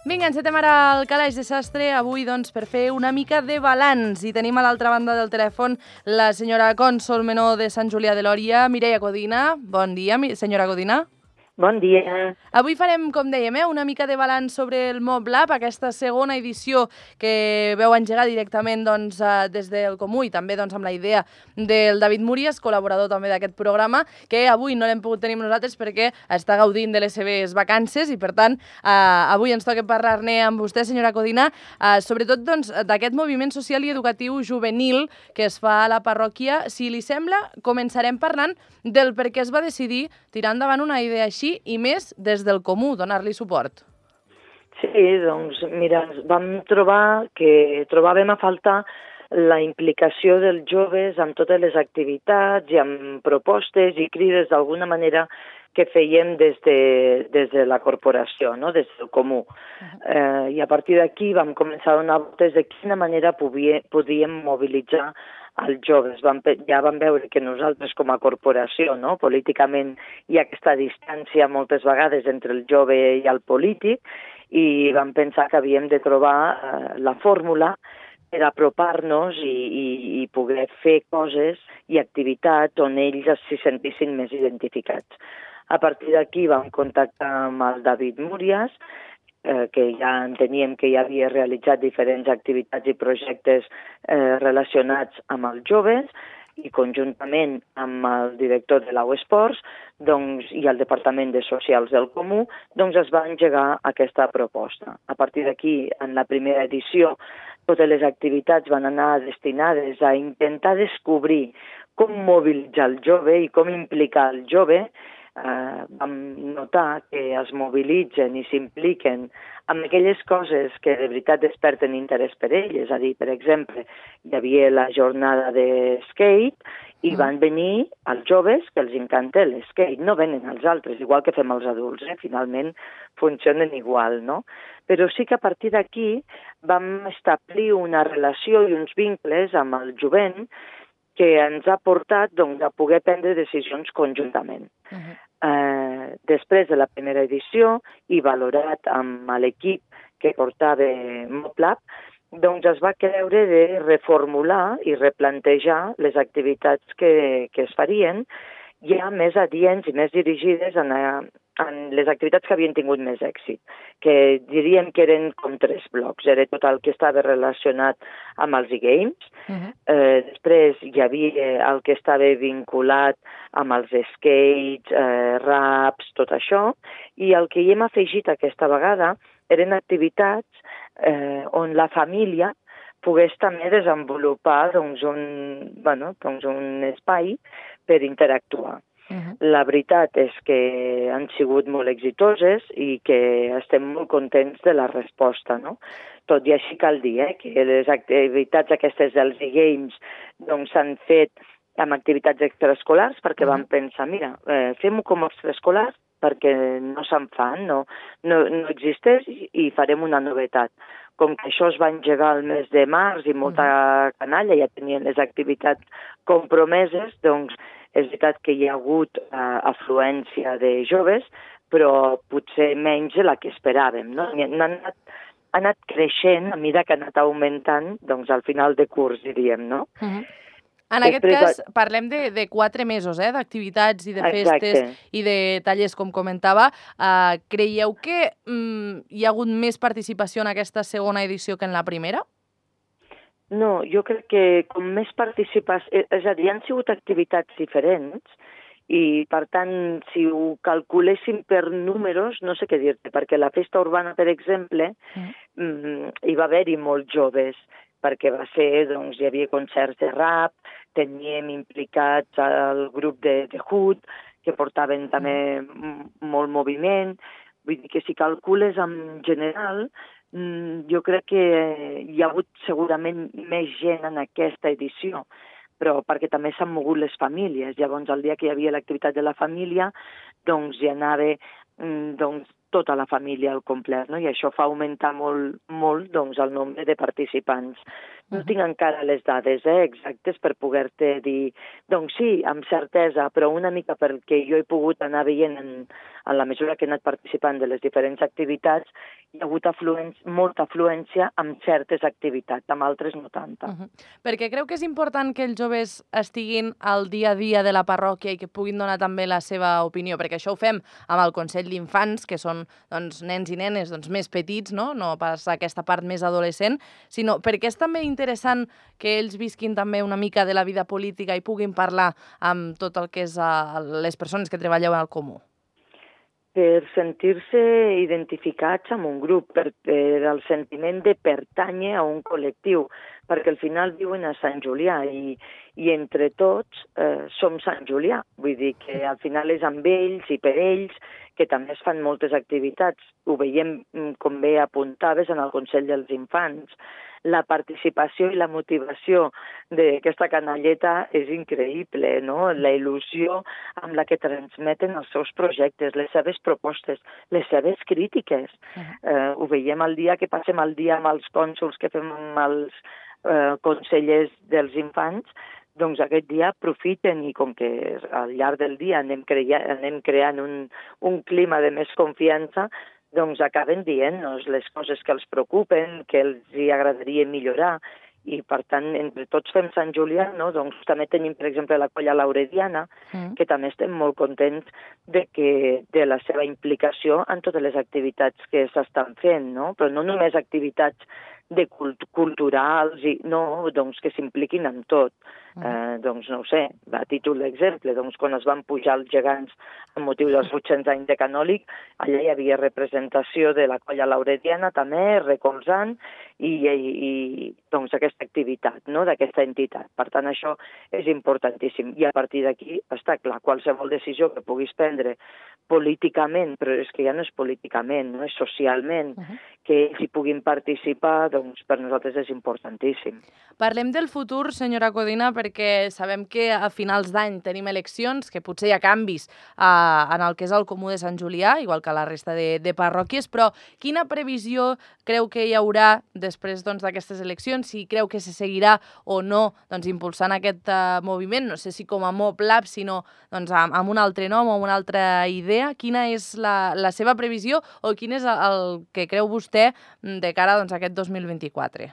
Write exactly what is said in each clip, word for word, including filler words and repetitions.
Vinga, encetem ara el calaix de sastre avui doncs, per fer una mica de balanç. I tenim a l'altra banda del telèfon la senyora Consol Menor de Sant Julià de Lòria, Mireia Codina. Bon dia, senyora Codina. Bon dia. Avui farem, com dèiem, eh, una mica de balanç sobre el MobLab, aquesta segona edició que veu engegar directament doncs, des del Comú i també doncs, amb la idea del David Múries, col·laborador també d'aquest programa, que avui no l'hem pogut tenir amb nosaltres perquè està gaudint de les seves vacances i, per tant, eh, avui ens toca parlar-ne amb vostè, senyora Codina, eh, sobretot doncs, d'aquest moviment social i educatiu juvenil que es fa a la parròquia. Si li sembla, començarem parlant del per què es va decidir tirar endavant una idea així i més des del Comú, donar-li suport. Sí, doncs, mira, vam trobar que trobàvem a faltar la implicació dels joves amb totes les activitats i amb propostes i crides d'alguna manera que fèiem des de, des de la corporació, no? Des del Comú. Uh-huh. eh, I a partir d'aquí vam començar a donar voltes de quina manera podia, podíem mobilitzar els joves. Vam, ja vam veure que nosaltres com a corporació, no? Políticament hi ha aquesta distància moltes vegades entre el jove i el polític i vam pensar que havíem de trobar eh, la fórmula per apropar-nos i, i, i poder fer coses i activitats on ells s'hi sentissin més identificats. A partir d'aquí vam contactar amb el David Múries, eh, que ja enteníem que ja havia realitzat diferents activitats i projectes eh, relacionats amb els joves i conjuntament amb el director de l'Au Esports doncs, i el Departament de Socials del Comú, doncs es va engegar aquesta proposta. A partir d'aquí, en la primera edició, totes les activitats van anar destinades a intentar descobrir com mobilitzar el jove i com implicar el jove. Uh, vam notar que es mobilitzen i s'impliquen amb aquelles coses que de veritat desperten interès per ells. És a dir, per exemple, hi havia la jornada de skate i van venir els joves que els encanta l'skate. No venen els altres, igual que fem els adults, eh? Finalment funcionen igual, no? Però sí que a partir d'aquí vam establir una relació i uns vincles amb el jovent que ens ha portat doncs, a poder prendre decisions conjuntament. Uh-huh. Eh, després de la primera edició i valorat amb l'equip que portava MobLab, doncs es va creure de reformular i replantejar les activitats que, que es farien ja més adients i més dirigides en, en les activitats que havien tingut més èxit, que diríem que eren com tres blocs. Era tot el que estava relacionat amb els e-games, uh-huh. eh, després hi havia el que estava vinculat amb els skates, eh, raps, tot això, i el que hi hem afegit aquesta vegada eren activitats eh, on la família pogués també desenvolupar doncs, un, bueno, doncs, un espai per interactuar. Uh-huh. La veritat és que han sigut molt exitoses i que estem molt contents de la resposta, no? Tot i així cal dir eh, que les activitats aquestes dels e-games doncs, s'han fet amb activitats extraescolars perquè uh-huh. vam pensar, mira, eh, fem-ho com a extraescolars perquè no se'n fan, no, no, no existeix i farem una novetat. Com que això es va engegar el mes de març i molta canalla ja tenien les activitats compromeses, doncs és veritat que hi ha hagut uh, afluència de joves, però potser menys de la que esperàvem, no? Han anat, ha anat creixent a mesura que ha anat augmentant doncs, al final de curs, diríem, no? Uh-huh. En aquest cas, parlem de, de quatre mesos eh, d'activitats i de festes Exacte. I de tallers, com comentava. Uh, creieu que um, hi ha hagut més participació en aquesta segona edició que en la primera? No, jo crec que com més participació... És a dir, han sigut activitats diferents i, per tant, si ho calculéssim per números, no sé què dir-te, perquè la festa urbana, per exemple, mm. hi va haver-hi molts joves, perquè va ser, doncs, hi havia concerts de rap, teníem implicats el grup de, de Hood, que portaven també mm. molt moviment. Vull dir que si calcules en general, mm, jo crec que hi ha hagut segurament més gent en aquesta edició, però perquè també s'han mogut les famílies. Llavors, el dia que hi havia l'activitat de la família, doncs hi anava mm, doncs, tota la família al complet, no? I això fa augmentar molt, molt doncs, el nombre de participants. No tinc encara les dades eh, exactes per poder-te dir... Doncs sí, amb certesa, però una mica perquè jo he pogut anar veient en en la mesura que he anat participant de les diferents activitats, hi ha hagut afluència, molta afluència amb certes activitats, amb altres no tanta. Uh -huh. Perquè creu que és important que els joves estiguin al dia a dia de la parròquia i que puguin donar també la seva opinió, perquè això ho fem amb el Consell d'Infants, que són doncs, nens i nenes doncs, més petits, no? No pas aquesta part més adolescent, sinó perquè és també interessant que ells visquin també una mica de la vida política i puguin parlar amb tot el que és uh, les persones que treballeu al comú. Per sentir-se identificats amb un grup, per, per el sentiment de pertànyer a un col·lectiu, perquè al final viuen a Sant Julià i, i entre tots eh, som Sant Julià. Vull dir que al final és amb ells i per ells que també es fan moltes activitats. Ho veiem, com bé apuntaves, en el Consell dels Infants. La participació i la motivació d'aquesta canalleta és increïble, no? La il·lusió amb la que transmeten els seus projectes, les seves propostes, les seves crítiques. Uh-huh. eh, ho veiem el dia que passem el dia amb els cònsols que fem amb els eh, consellers dels infants, doncs aquest dia aprofiten i com que al llarg del dia anem, crea anem creant un, un clima de més confiança, doncs acaben dient-nos les coses que els preocupen, que els hi agradaria millorar, i per tant, entre tots fem Sant Julià, no? Doncs també tenim, per exemple, la Colla Laurediana, mm. que també estem molt contents de, que, de la seva implicació en totes les activitats que s'estan fent, no? Però no només activitats de cult culturals, i, no, doncs que s'impliquin en tot. Mm. Eh, doncs no ho sé, a títol d'exemple, doncs quan es van pujar els gegants amb motiu dels vuit-cents anys de Canòlic, allà hi havia representació de la Colla Laurediana també, recolzant, i, i, i doncs aquesta activitat, no?, d'aquesta entitat. Per tant, això és importantíssim. I a partir d'aquí està clar, qualsevol decisió que puguis prendre políticament, però és que ja no és políticament, no és socialment, uh -huh. que ells hi puguin participar, doncs per nosaltres és importantíssim. Parlem del futur, senyora Codina, perquè sabem que a finals d'any tenim eleccions, que potser hi ha canvis eh, en el que és el Comú de Sant Julià, igual que la resta de, de parròquies, però quina previsió creu que hi haurà després d'aquestes doncs, eleccions? Si creu que se seguirà o no doncs, impulsant aquest uh, moviment, no sé si com a MobLab, sinó doncs, amb, amb un altre nom o amb una altra idea. Quina és la, la seva previsió o quin és el, el que creu vostè de cara doncs, a aquest dos mil vint-i-quatre?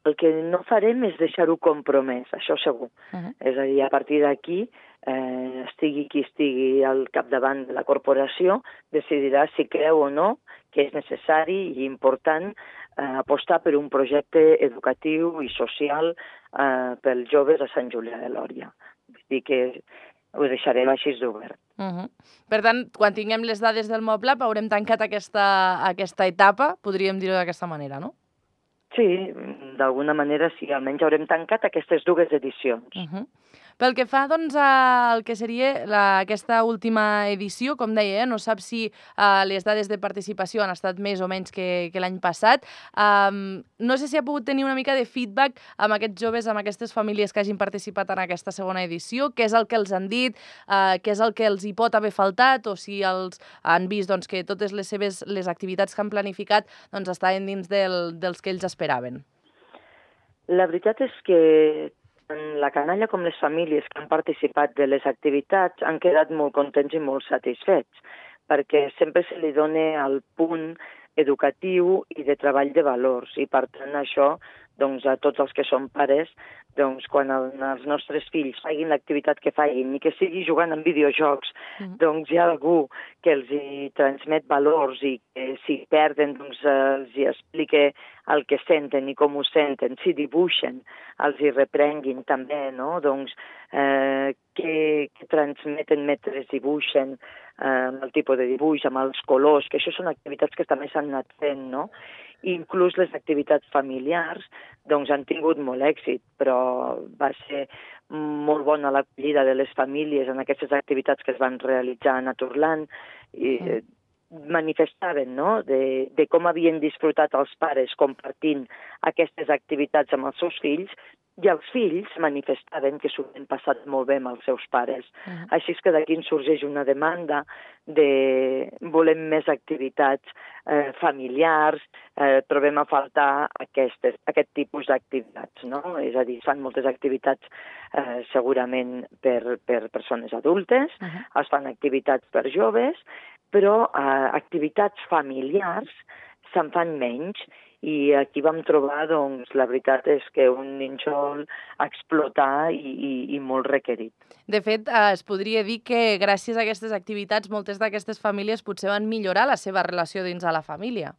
El que no farem és deixar-ho compromès, això segur. Uh -huh. És a dir, a partir d'aquí, eh, estigui qui estigui al capdavant de la corporació, decidirà si creu o no que és necessari i important eh, apostar per un projecte educatiu i social eh, pels joves a Sant Julià de Lòria. Vull dir que ho deixarem així d'obert. Uh -huh. Per tant, quan tinguem les dades del MobLab haurem tancat aquesta, aquesta etapa, podríem dir-ho d'aquesta manera, no? Sí, d'alguna manera sí, almenys haurem tancat aquestes dues edicions. Uh -huh. Pel que fa doncs, al que seria la, aquesta última edició, com deia, eh, no sap si uh, les dades de participació han estat més o menys que, que l'any passat. Um, no sé si ha pogut tenir una mica de feedback amb aquests joves, amb aquestes famílies que hagin participat en aquesta segona edició, què és el que els han dit, uh, què és el que els hi pot haver faltat, o si els han vist doncs, que totes les seves les activitats que han planificat doncs, estaven dins del, dels que ells esperaven. La veritat és que tant la canalla com les famílies que han participat de les activitats han quedat molt contents i molt satisfets, perquè sempre se li dona el punt educatiu i de treball de valors, i per tant això, doncs, a tots els que són pares, doncs, quan el, els nostres fills facin l'activitat que facin, ni que sigui jugant en videojocs, mm. doncs hi ha algú que els hi transmet valors i que si perden, doncs els hi explique el que senten i com ho senten, si dibuixen, els hi reprenguin també, no? Doncs eh, que, que transmeten mentre dibuixen, eh, amb el tipus de dibuix, amb els colors, que això són activitats que també s'han anat fent, no? Inclús les activitats familiars doncs, han tingut molt èxit, però va ser molt bona l'acollida de les famílies en aquestes activitats que es van realitzar a Naturland i eh, manifestaven, no?, de, de com havien disfrutat els pares compartint aquestes activitats amb els seus fills I els fills manifestaven que s'ho havien passat molt bé amb els seus pares. Uh -huh. Així és que d'aquí en sorgeix una demanda de volem més activitats eh, familiars, eh, trobem a faltar aquestes, aquest tipus d'activitats, no? És a dir, es fan moltes activitats eh, segurament per, per persones adultes, uh -huh. es fan activitats per joves, però eh, activitats familiars se'n fan menys. I aquí vam trobar, doncs, la veritat és que un nínxol a explotar i, i, i molt requerit. De fet, eh, es podria dir que gràcies a aquestes activitats moltes d'aquestes famílies potser van millorar la seva relació dins de la família,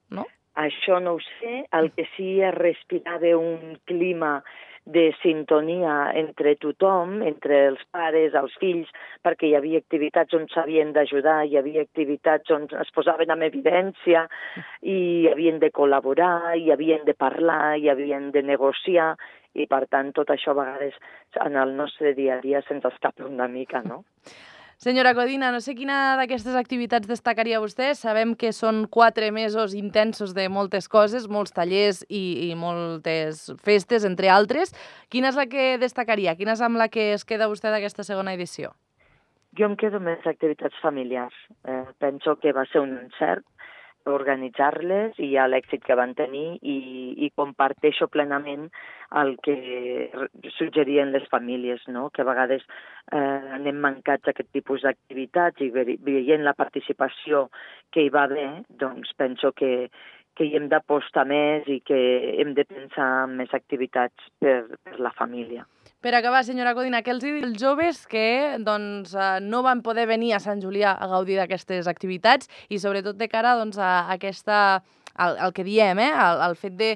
no? Això no ho sé. El que sí es respirava un clima de sintonia entre tothom, entre els pares, els fills, perquè hi havia activitats on s'havien d'ajudar, hi havia activitats on es posaven en evidència i hi havien de col·laborar, hi havien de parlar, hi havien de negociar, i per tant tot això a vegades en el nostre dia a dia se'ns escapa una mica, no? Senyora Codina, no sé quina d'aquestes activitats destacaria vostè. Sabem que són quatre mesos intensos de moltes coses, molts tallers i, i moltes festes, entre altres. Quina és la que destacaria? Quina és amb la que es queda vostè d'aquesta segona edició? Jo em quedo amb les activitats familiars. Eh, penso que va ser un encert organitzar-les i l'èxit que van tenir i, i comparteixo plenament el que suggerien les famílies, no? Que a vegades eh, anem mancats d'aquest tipus d'activitats i veient la participació que hi va haver, doncs penso que, que hi hem d'apostar més i que hem de pensar en més activitats per, per la família. Per acabar, senyora Codina, què els diu els joves que doncs, no van poder venir a Sant Julià a gaudir d'aquestes activitats i sobretot de cara doncs, a aquesta, el, el que diem, eh? el, el fet de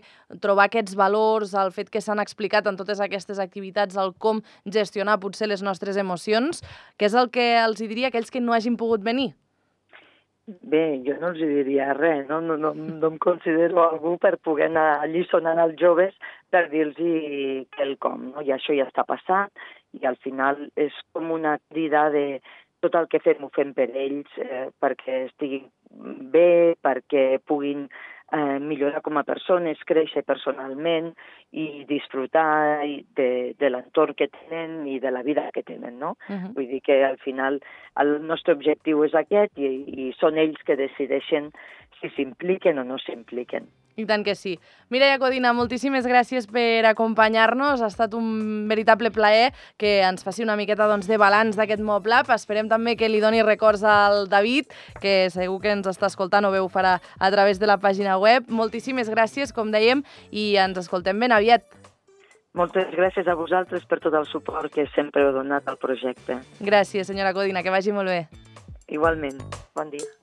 trobar aquests valors, el fet que s'han explicat en totes aquestes activitats, el com gestionar potser les nostres emocions, què és el que els diria a aquells que no hagin pogut venir? Bé, jo no els diria res, no? No, no, no em considero algú per poder anar alliçonant als joves per dir-los quelcom, no? I això ja està passant i al final és com una crida de tot el que fem ho fem per ells, eh, perquè estiguin bé, perquè puguin eh, millorar com a persones, créixer personalment i disfrutar de, de l'entorn que tenen i de la vida que tenen, no? Uh-huh. Vull dir que al final el nostre objectiu és aquest i, i són ells que decideixen si s'impliquen o no s'impliquen. I tant que sí. Mireia Codina, moltíssimes gràcies per acompanyar-nos. Ha estat un veritable plaer que ens faci una miqueta doncs, de balanç d'aquest MobLab. Esperem també que li doni records al David, que segur que ens està escoltant o bé ho farà a través de la pàgina web. Moltíssimes gràcies, com dèiem, i ens escoltem ben aviat. Moltes gràcies a vosaltres per tot el suport que sempre heu donat al projecte. Gràcies, senyora Codina, que vagi molt bé. Igualment. Bon dia.